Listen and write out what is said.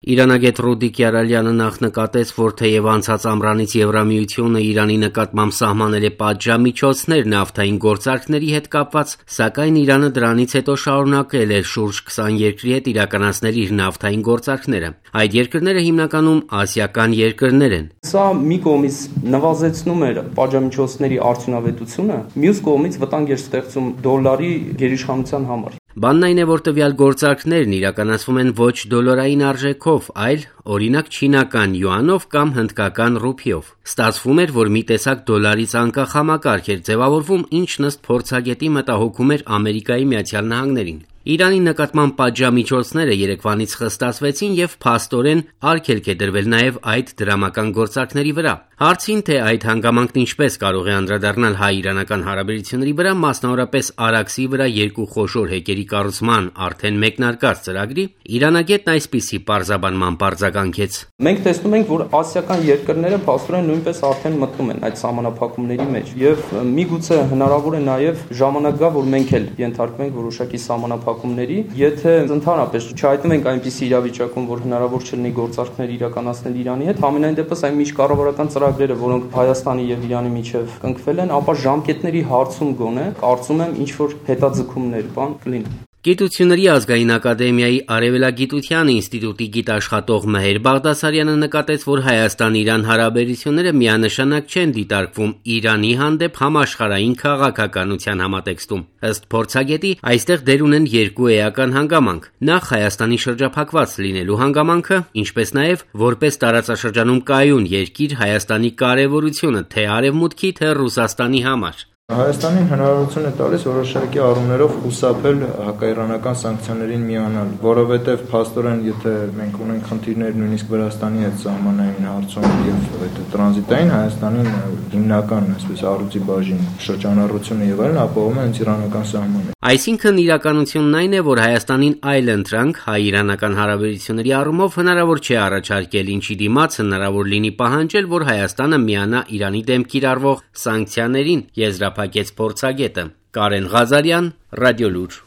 Իրանագետ Ռուդիկ Յարալյանը նախ նկատեց, որ թեև անցած ամռանից Եվրամիությունը Իրանի նկատմամբ սահմանել է պատժամիջոցներ նավթային գործարքների հետ կապված, սակայն Իրանը դրանից հետո շարունակել է շուրջ 20 երկրի հետ իրականացնել իր նավթային գործարքները։ Այդ երկրները հիմնականում ասիական երկրներ են։ Սա մի կողմից նվազեցնում էր պատժամիջոցների արդյունավետությունը, մյուս կողմից վտանգ էր ստեղծում դոլարի գերիշխանության համար։ Բանն այն է, որ տվյալ գործարքներն իրականացվում են ոչ դոլարային արժեքով, այլ օրինակ չինական յուանով կամ հնդկական ռուփիով։ Ստացվում էր, որ մի տեսակ դոլարից անկախ համակարգ էր ձևավորվում, ինչն ըստ փորձագետի մտահոգում էր Ամերիկայի Միացյալ Նահանգներին։ Իրանի նկատմամբ պատժամիջոցները երեկվանից խստացվեցին եւ փաստորեն արգելք է դրվել նաեւ այդ դրամական գործարքների վրա։ Հարցին, թե այդ հանգամանքն ինչպես կարող է անդրադառնալ հայ-իրանական հարաբերությունների վրա, մասնավորապես Արաքսի վրա երկու խոշոր հեկերի կառուցման արդեն մեկնարկած ծրագրի, իրանագետն այսպիսի պարզաբանման պարզականքեց. Մենք տեսնում ենք, որ ասիական երկրները փաստորեն նույնպես արդեն մտնում են այդ սահմանափակումների մեջ եւ միգուցե հնարավոր է նաեւ ժամանակ գա, որ մենք էլ ենթարկվենք որոշակի սահմանափակումների, եթե ընդհանրապես չհայտնվենք ենք այնպիսի իրավիճակում, որ հնարավոր չլինի գործարքներ իրականացնել Իրանի հետ, համենայն դեպս այն միջկառավարական ծրագրերը, որոնք Հայաստանի եւ Իրանի միջև կնքվել են, ապա ժամկետների հարցում գոնե կարծում եմ ինչ որ հետաձգումներ կլինի։ Գիտությունների ազգային ակադեմիայի Արևելագիտության ինստիտուտի գիտաշխատող Մեհեր Բաղդասարյանը նկատեց, որ Հայաստան-Իրան հարաբերությունները միանշանակ չեն դիտարկվում Իրանի հանդեպ համաշխարհային քաղաքականության համատեքստում։ Ըստ փորձագետի, այստեղ դեր ունեն երկու էական հանգամանք՝ նախ Հայաստանի շրջափակված լինելու հանգամանքը, ինչպես նաև որպես տարածաշրջանում կայուն երկիր Հայաստանի կարևորությունը թե Արևմուտքի, թե Ռուսաստանի համար։ Հայաստանին հնարավորություն է տալիս որոշակի առումներով խուսափել հակաիրանական սանկցիաներին միանալ, որովհետև փաստորեն, եթե մենք ունենք խնդիրներ նույնիսկ Վրաստանի հետ սահմանային հարցում եւ այդ տրանզիտային Հայաստանին հիմնական, այսպես առյուծի բաժին շրջանառությունը եւ այլն ապահովում է հենց իրանական սահմանը։ Այսինքն իրականությունն այն է, որ Հայաստանին այլ ընտրանք հայ-իրանական հարաբերությունների առումով հնարավոր չէ առաջարկել, ինչի դիմաց հնարավոր լինի պահանջել, որ Հայաստանը միանա Իրանի դեմ կիրառվող սանկցիաներին, եզրափակեց փորձագետը։ Կարեն Ղազարյան, Ռադիոլուր։